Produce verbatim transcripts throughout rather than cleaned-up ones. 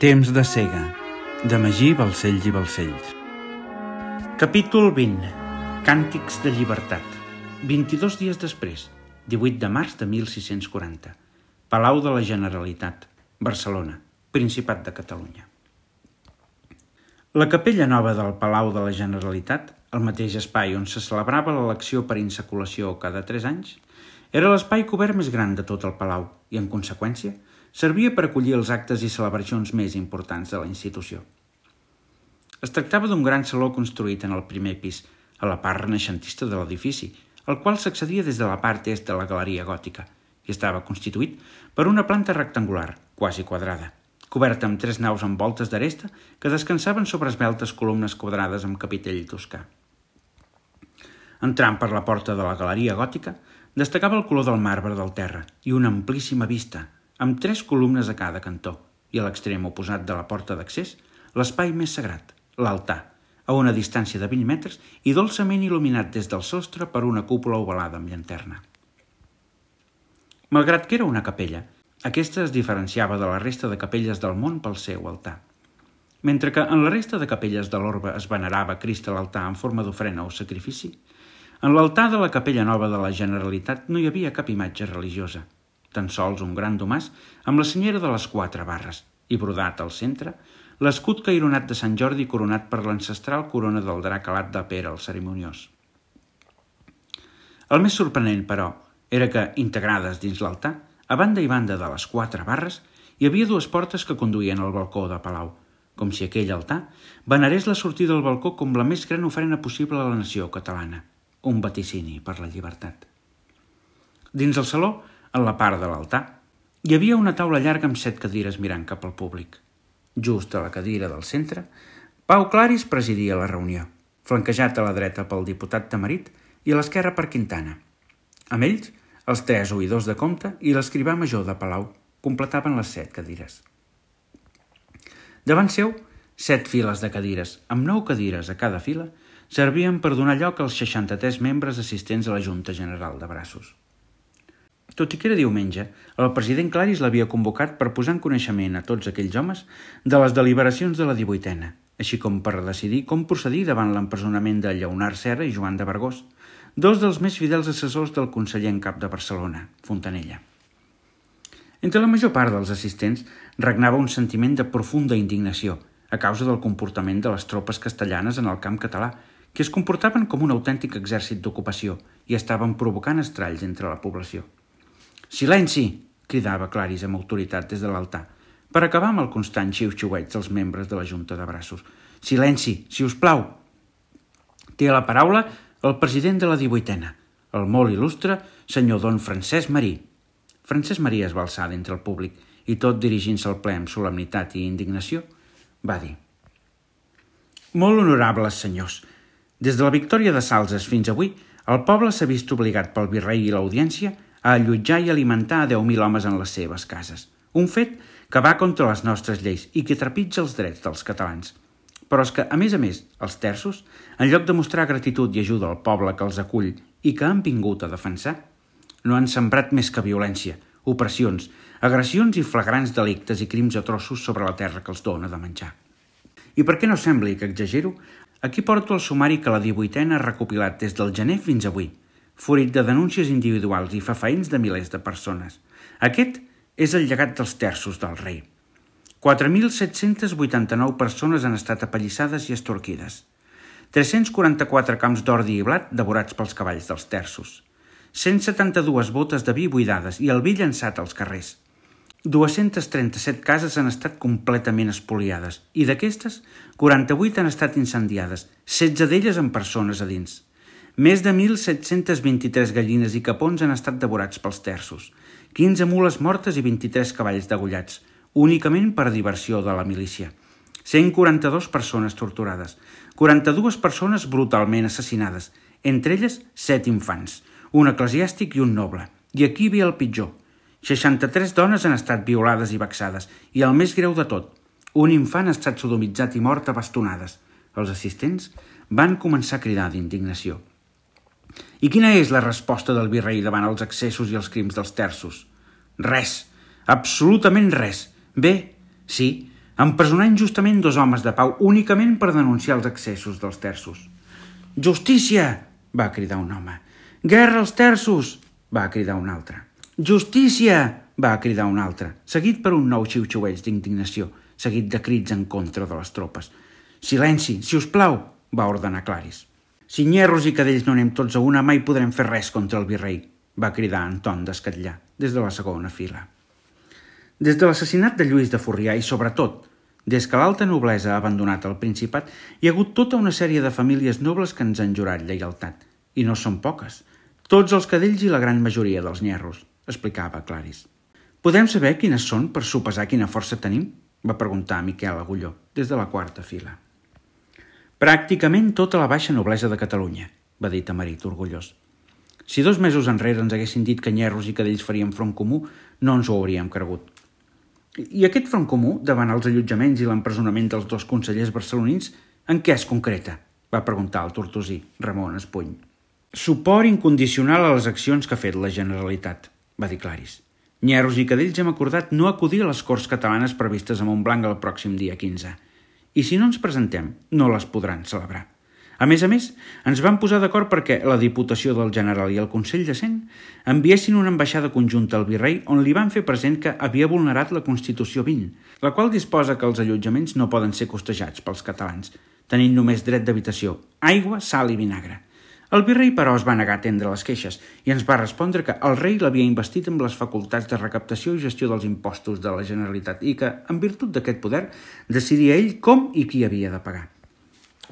Temps de cega, de Magí Balcells i Balcells. Capítol vint. Càntics de llibertat. vint-i-dos dies després, divuit de març de mil sis-cents quaranta. Palau de la Generalitat, Barcelona, Principat de Catalunya. La capella nova del Palau de la Generalitat, el mateix espai on se celebrava l'elecció per insaculació cada tres anys, era l'espai cobert més gran de tot el palau i, en conseqüència, servia per acollir els actes i celebracions més importants de la institució. Es tractava d'un gran saló construït en el primer pis, a la part renaixentista de l'edifici, al qual s'accedia des de la part est de la galeria gòtica, i estava constituït per una planta rectangular, quasi quadrada, coberta amb tres naus amb voltes d'aresta que descansaven sobre esveltes columnes quadrades amb capitell toscà. Entrant per la porta de la galeria gòtica, destacava el color del marbre del terra i una amplíssima vista, amb tres columnes a cada cantó, i a l'extrem oposat de la porta d'accés, l'espai més sagrat, l'altar, a una distància de vint metres i dolçament il·luminat des del sostre per una cúpula ovalada amb llanterna. Malgrat que era una capella, aquesta es diferenciava de la resta de capelles del món pel seu altar. Mentre que en la resta de capelles de l'orbe es venerava Crist a l'altar en forma d'ofrena o sacrifici, en l'altar de la capella nova de la Generalitat no hi havia cap imatge religiosa, tan sols un gran domàs amb la senyera de les quatre barres i brodat al centre l'escut caironat de Sant Jordi coronat per l'ancestral corona del drac alat de Pere el Cerimoniós. El més sorprenent, però, era que, integrades dins l'altar, a banda i banda de les quatre barres, hi havia dues portes que conduïen al balcó de Palau, com si aquell altar venerés la sortida del balcó com la més gran ofrena possible a la nació catalana, un vaticini per la llibertat. Dins el saló, en la part de l'altar, hi havia una taula llarga amb set cadires mirant cap al públic. Just a la cadira del centre, Pau Claris presidia la reunió, flanquejat a la dreta pel diputat Tamarit i a l'esquerra per Quintana. Amb ells, els tres oïdors de compte i l'escrivà major de Palau completaven les set cadires. Davant seu, set files de cadires, amb nou cadires a cada fila, servien per donar lloc als seixanta-tres membres assistents a la Junta General de Braços. Tot i que era diumenge, el president Claris l'havia convocat per posar en coneixement a tots aquells homes de les deliberacions de la divuitena, així com per decidir com procedir davant l'empresonament de Lleonard Serra i Joan de Vergós, dos dels més fidels assessors del conseller en cap de Barcelona, Fontanella. Entre la major part dels assistents regnava un sentiment de profunda indignació a causa del comportament de les tropes castellanes en el camp català, que es comportaven com un autèntic exèrcit d'ocupació i estaven provocant estralls entre la població. «Silenci!», cridava Claris amb autoritat des de l'altar, per acabar amb el constant xiu-xiueig dels membres de la Junta de Braços. «Silenci, si us plau!» Té la paraula el president de la divuitena, el molt il·lustre senyor don Francesc Marí. Francesc Marí es va alçar d'entre el públic i, tot dirigint-se al ple amb solemnitat i indignació, va dir: «Molt honorables senyors, des de la victòria de Salses fins avui, el poble s'ha vist obligat pel virrei i l'audiència a allotjar i alimentar a deu mil homes en les seves cases. Un fet que va contra les nostres lleis i que trepitja els drets dels catalans. Però és que, a més a més, els terços, en lloc de mostrar gratitud i ajuda al poble que els acull i que han vingut a defensar, no han sembrat més que violència, opressions, agressions i flagrants delictes i crims atroços sobre la terra que els dona de menjar. I per què no sembli que exagero, aquí porto el sumari que la divuitena ha recopilat des del gener fins avui, fruit de denúncies individuals i fefaïns de milers de persones. Aquest és el llegat dels terços del rei. quatre mil set-cents vuitanta-nou persones han estat apallissades i estorquides. tres-cents quaranta-quatre camps d'ordi i blat devorats pels cavalls dels terços. cent setanta-dues botes de vi buidades i el vi llançat als carrers. dues-centes trenta-set cases han estat completament espoliades i d'aquestes, quaranta-vuit han estat incendiades, setze d'elles amb persones a dins. Més de mil set-cents vint-i-tres gallines i capons han estat devorats pels terços, quinze mules mortes i vint-i-tres cavalls degollats, únicament per diversió de la milícia. cent quaranta-dues persones torturades, quaranta-dues persones brutalment assassinades, entre elles set infants, un eclesiàstic i un noble. I aquí ve el pitjor. seixanta-tres dones han estat violades i vexades, i el més greu de tot, un infant ha estat sodomitzat i mort a bastonades. Els assistents van començar a cridar d'indignació. I quina és la resposta del virrei davant els excessos i els crims dels terços? Res, absolutament res. Bé, sí, empresonar injustament dos homes de pau únicament per denunciar els excessos dels terços. «Justícia!», va cridar un home. «Guerra als terços!», va cridar un altre. «Justícia!», va cridar un altre, seguit per un nou xiu-xiueig d'indignació, seguit de crits en contra de les tropes. «Silenci, si us plau!», va ordenar Claris. «Si nyerros i cadells no anem tots a una, mai podrem fer res contra el virrei», va cridar Anton d'Escatllar, des de la segona fila. Des de l'assassinat de Lluís de Forrià i, sobretot, des que l'alta noblesa ha abandonat el Principat, hi ha hagut tota una sèrie de famílies nobles que ens han jurat lleialtat. I no són poques. Tots els cadells i la gran majoria dels nyerros, explicava Claris. «Podem saber quines són per sopesar quina força tenim?», va preguntar Miquel Agulló, des de la quarta fila. «Pràcticament tota la baixa noblesa de Catalunya», va dir Tamarit, orgullós. «Si dos mesos enrere ens haguessin dit que nyerros i cadells farien front comú, no ens ho hauríem cregut». «I aquest front comú, davant els allotjaments i l'empresonament dels dos consellers barcelonins, en què es concreta?», va preguntar el tortosí, Ramon Espuny. «Suport incondicional a les accions que ha fet la Generalitat», va dir Claris. «Nyerros i cadells hem acordat no acudir a les Corts Catalanes previstes a Montblanc el pròxim dia quinze. I si no ens presentem, no les podran celebrar. A més a més, ens vam posar d'acord perquè la Diputació del General i el Consell de Cent enviessin una ambaixada conjunta al virrei on li van fer present que havia vulnerat la Constitució vint, la qual disposa que els allotjaments no poden ser costejats pels catalans, tenint només dret d'habitació, aigua, sal i vinagre. El virrei, però, es va negar a atendre les queixes i ens va respondre que el rei l'havia investit amb les facultats de recaptació i gestió dels impostos de la Generalitat i que, en virtut d'aquest poder, decidia ell com i qui havia de pagar.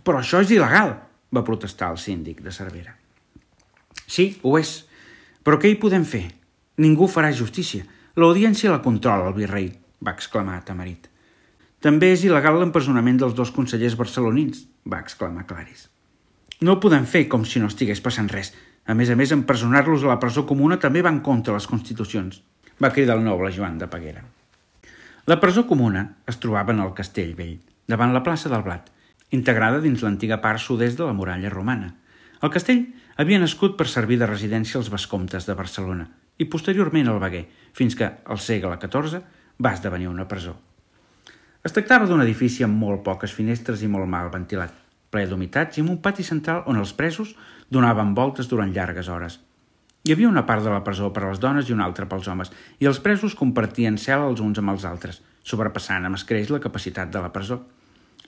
«Però això és il·legal», va protestar el síndic de Cervera. «Sí, ho és. Però què hi podem fer? Ningú farà justícia. L'audiència la controla el virrei», va exclamar Tamarit. «També és il·legal l'empresonament dels dos consellers barcelonins», va exclamar Claris. «No ho podem fer com si no estigués passant res. A més a més, empresonar-los a la presó comuna també va en contra les constitucions», va cridar el noble Joan de Peguera. La presó comuna es trobava en el Castell Vell, davant la plaça del Blat, integrada dins l'antiga part sud-est de la muralla romana. El castell havia nascut per servir de residència als vescomtes de Barcelona i posteriorment al Veguer, fins que, al segle catorze, va esdevenir una presó. Es tractava d'un edifici amb molt poques finestres i molt mal ventilat, ple d'humitats i amb un pati central on els presos donaven voltes durant llargues hores. Hi havia una part de la presó per a les dones i una altra pels homes, i els presos compartien cel·la els uns amb els altres, sobrepassant amb escreix la capacitat de la presó.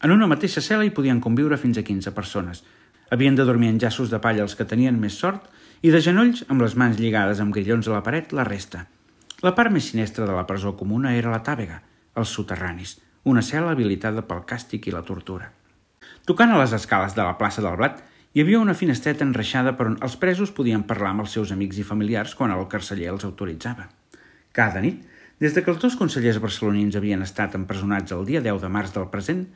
En una mateixa cel·la hi podien conviure fins a quinze persones. Havien de dormir en llaços de palla els que tenien més sort i de genolls, amb les mans lligades amb grillons a la paret, la resta. La part més sinistra de la presó comuna era la tàvega, els soterranis, una cel·la habilitada pel càstig i la tortura. Tocant a les escales de la plaça del Blat, hi havia una finestreta enreixada per on els presos podien parlar amb els seus amics i familiars quan el carceller els autoritzava. Cada nit, des que els dos consellers barcelonins havien estat empresonats el dia deu de març del present,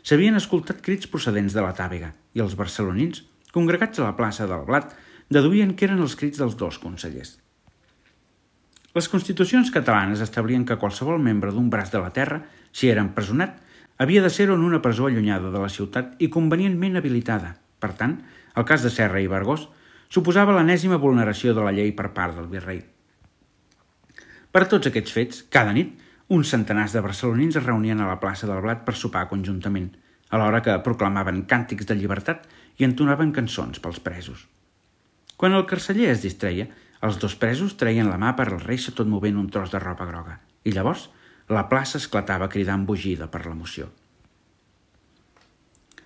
s'havien escoltat crits procedents de la tàvega i els barcelonins, congregats a la plaça del Blat, deduïen que eren els crits dels dos consellers. Les constitucions catalanes establien que qualsevol membre d'un braç de la terra, si era empresonat, havia de ser-ho en una presó allunyada de la ciutat i convenientment habilitada. Per tant, el cas de Serra i Vergós suposava l'enèsima vulneració de la llei per part del virrei. Per tots aquests fets, cada nit, uns centenars de barcelonins es reunien a la plaça del Blat per sopar conjuntament, alhora que proclamaven càntics de llibertat i entonaven cançons pels presos. Quan el carceller es distreia, els dos presos treien la mà per al reixa tot movent un tros de roba groga, i llavors la plaça esclatava cridant embogida per l'emoció.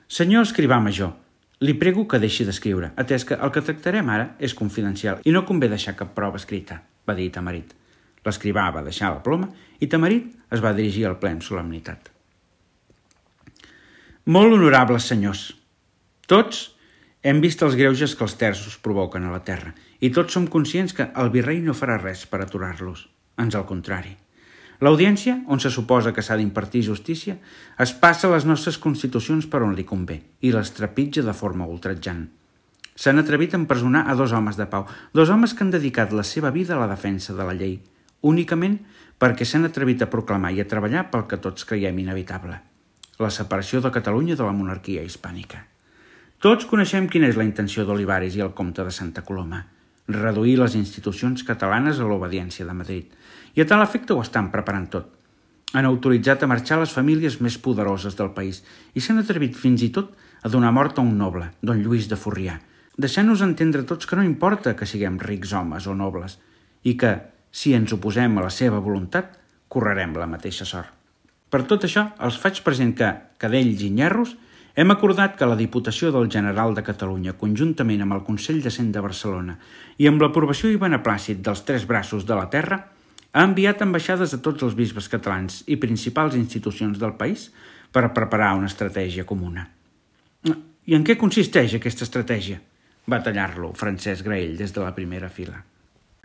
«Senyor escrivà major, li prego que deixi d'escriure, atès que el que tractarem ara és confidencial i no convé deixar cap prova escrita», va dir Tamarit. L'escrivà va deixar la ploma i Tamarit es va dirigir al ple amb solemnitat. «Molt honorables senyors, tots hem vist els greuges que els terços provoquen a la terra i tots som conscients que el virrei no farà res per aturar-los, ans al contrari. L'audiència, on se suposa que s'ha d'impartir justícia, es passa les nostres constitucions per on li convé i les trepitja de forma ultratjant. S'han atrevit a empresonar a dos homes de pau, dos homes que han dedicat la seva vida a la defensa de la llei, únicament perquè s'han atrevit a proclamar i a treballar pel que tots creiem inevitable, la separació de Catalunya de la monarquia hispànica. Tots coneixem quina és la intenció d'Olivares i el comte de Santa Coloma, reduir les institucions catalanes a l'obediència de Madrid, i a tal efecte ho estan preparant tot. Han autoritzat a marxar les famílies més poderoses del país i s'han atrevit fins i tot a donar mort a un noble, don Lluís de Forrià, deixant-nos entendre tots que no importa que siguem rics homes o nobles i que, si ens oposem a la seva voluntat, correrem la mateixa sort. Per tot això, els faig present que, cadells i nyerros, hem acordat que la Diputació del General de Catalunya, conjuntament amb el Consell de Cent de Barcelona i amb l'aprovació i beneplàcit dels tres braços de la terra, ha enviat ambaixades a tots els bisbes catalans i principals institucions del país per preparar una estratègia comuna. I en què consisteix aquesta estratègia? Va tallar-lo Francesc Graell des de la primera fila.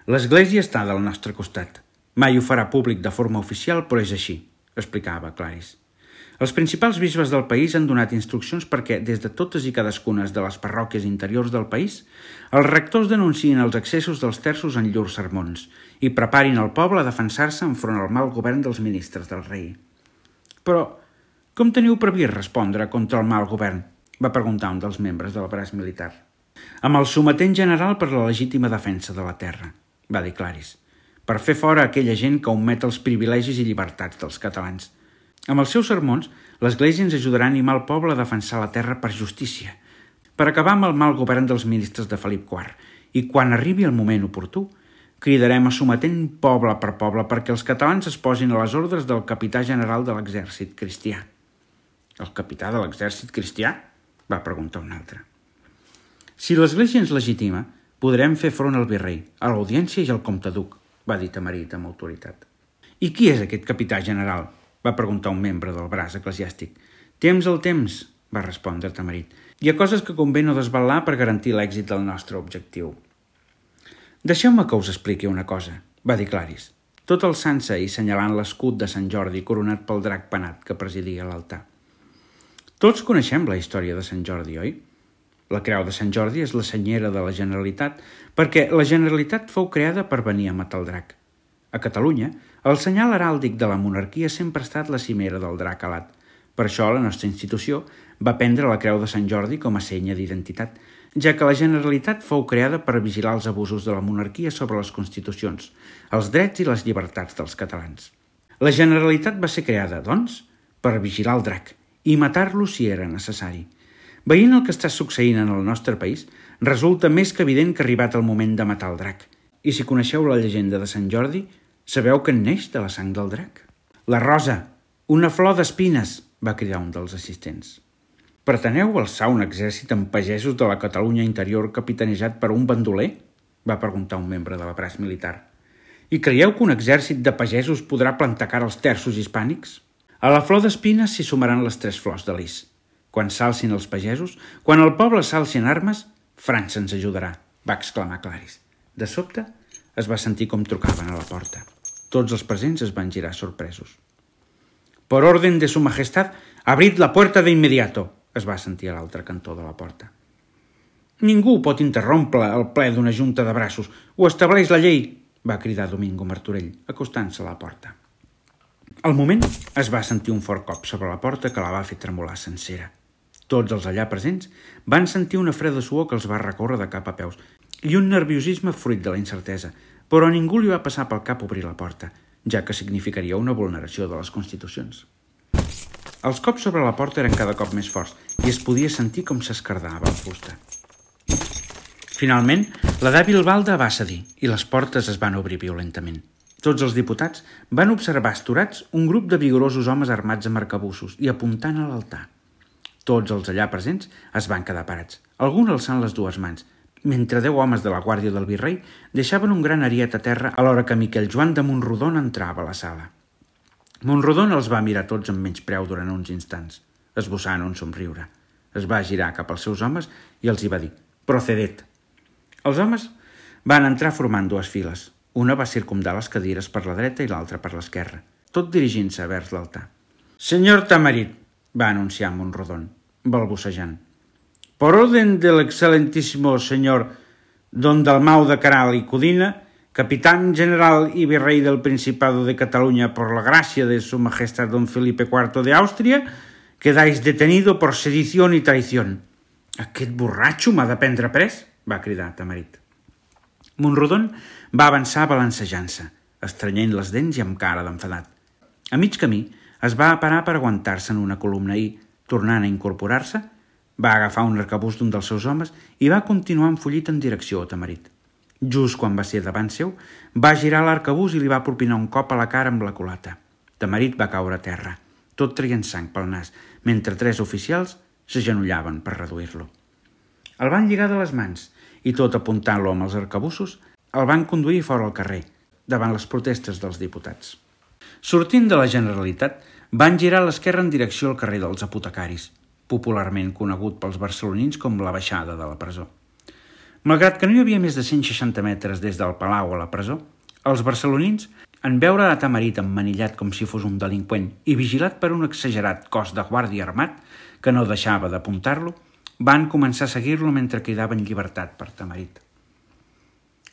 L'Església està del nostre costat. Mai ho farà públic de forma oficial, però és així, explicava Claris. Els principals bisbes del país han donat instruccions perquè, des de totes i cadascunes de les parròquies interiors del país, els rectors denunciïn els excessos dels terços en llurs sermons i preparin el poble a defensar-se enfront al mal govern dels ministres del rei. Però, com teniu previst respondre contra el mal govern? Va preguntar un dels membres del braç militar. Amb el sometent general per la legítima defensa de la terra, va dir Claris, per fer fora aquella gent que omet els privilegis i llibertats dels catalans. Amb els seus sermons, l'Església ens ajudarà a animar el poble a defensar la terra per justícia, per acabar amb el mal govern dels ministres de Felip quart, i quan arribi el moment oportú, cridarem a sometent poble per poble perquè els catalans es posin a les ordres del capità general de l'exèrcit cristià. El capità de l'exèrcit cristià? Va preguntar un altre. Si l'Església ens legitima, podrem fer front al virrei, a l'audiència i al comte duc, va dir Tamarit amb autoritat. I qui és aquest capità general? Va preguntar un membre del braç eclesiàstic. Temps al temps, va respondre Tamarit. Hi ha coses que convé no desvelar per garantir l'èxit del nostre objectiu. Deixeu-me que us expliqui una cosa, va dir Claris, tot alçant-se i senyalant l'escut de Sant Jordi coronat pel drac penat que presidia l'altar. Tots coneixem la història de Sant Jordi, oi? La creu de Sant Jordi és la senyera de la Generalitat perquè la Generalitat fou creada per venir a matar el drac. A Catalunya, el senyal heràldic de la monarquia sempre ha estat la cimera del drac alat. Per això la nostra institució va prendre la creu de Sant Jordi com a senya d'identitat, ja que la Generalitat fou creada per vigilar els abusos de la monarquia sobre les constitucions, els drets i les llibertats dels catalans. La Generalitat va ser creada, doncs, per vigilar el drac i matar-lo si era necessari. Veient el que està succeint en el nostre país, resulta més que evident que ha arribat el moment de matar el drac. I si coneixeu la llegenda de Sant Jordi, sabeu que en neix de la sang del drac. La rosa, una flor d'espines, va cridar un dels assistents. Preteneu alçar un exèrcit amb pagesos de la Catalunya interior capitanejat per un bandoler? Va preguntar un membre de la braç militar. I creieu que un exèrcit de pagesos podrà plantar cara als terços hispànics? A la flor d'espines s'hi sumaran les tres flors de lis. Quan s'alcin els pagesos, quan el poble s'alci en armes, França ens ajudarà, va exclamar Claris. De sobte, es va sentir com trucaven a la porta. Tots els presents es van girar sorpresos. «Por orden de su majestad, abrid la puerta de inmediato», es va sentir a l'altre cantó de la porta. «Ningú pot interrompre el ple d'una junta de braços. Ho estableix la llei», va cridar Domingo Martorell, acostant-se a la porta. Al moment es va sentir un fort cop sobre la porta que la va fer tremolar sencera. Tots els allà presents van sentir una freda suor que els va recórrer de cap a peus i un nerviosisme fruit de la incertesa, però a ningú li va passar pel cap obrir la porta, ja que significaria una vulneració de les Constitucions. Els cops sobre la porta eren cada cop més forts i es podia sentir com s'escardava la fusta. Finalment, la dèbil balda va cedir i les portes es van obrir violentament. Tots els diputats van observar esturats un grup de vigorosos homes armats amb arcabussos i apuntant a l'altar. Tots els allà presents es van quedar parats, alguns alçant les dues mans, mentre deu homes de la guàrdia del virrei deixaven un gran ariet a terra a l'hora que Miquel Joan de Montrodon entrava a la sala. Montrodon els va mirar tots amb menyspreu durant uns instants, esbossant un somriure. Es va girar cap als seus homes i els hi va dir «Procedet». Els homes van entrar formant dues files. Una va circumdar les cadires per la dreta i l'altra per l'esquerra, tot dirigint-se vers l'altar. «Senyor Tamarit», va anunciar Montrodon, balbucejant. «Por orden del excelentísimo señor Don Dalmau de Caral y Codina, capitán general y virrey del Principado de Cataluña por la gracia de su majestad don Felipe cuarto de Àustria, quedáis detenido por sedición y traición». «Aquest borratxo m'ha de prendre pres», va cridar Tamarit. Montrodon va avançar balancejant-se, estrenyent les dents i amb cara d'enfadat. A mig camí es va parar per aguantar-se en una columna i, tornant a incorporar-se, va agafar un arcabús d'un dels seus homes i va continuar enfollit en direcció a Tamarit. Just quan va ser davant seu, va girar l'arcabús i li va propinar un cop a la cara amb la culata. Tamarit va caure a terra, tot traient sang pel nas, mentre tres oficials s'agenollaven per reduir-lo. El van lligar de les mans i, tot apuntant-lo amb els arcabussos, el van conduir fora al carrer, davant les protestes dels diputats. Sortint de la Generalitat, van girar a l'esquerra en direcció al carrer dels apotecaris, popularment conegut pels barcelonins com la baixada de la presó. Malgrat que no hi havia més de cent seixanta metres des del palau a la presó, els barcelonins, en veure a Tamarit emmanillat com si fos un delinqüent i vigilat per un exagerat cos de guàrdia armat que no deixava d'apuntar-lo, van començar a seguir-lo mentre quedava en llibertat per Tamarit.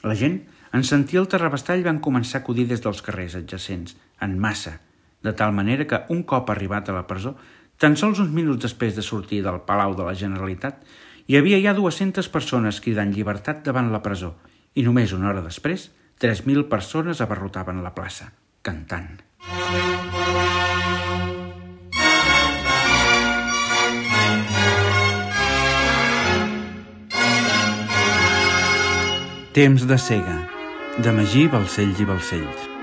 La gent, en sentir el terrabastall, van començar a acudir des dels carrers adjacents, en massa, de tal manera que, un cop arribat a la presó, tan sols uns minuts després de sortir del Palau de la Generalitat, hi havia ja dues-centes persones cridant llibertat davant la presó i només una hora després, tres mil persones abarrotaven la plaça, cantant. Temps de cega, de Magí Balcells i Balcells.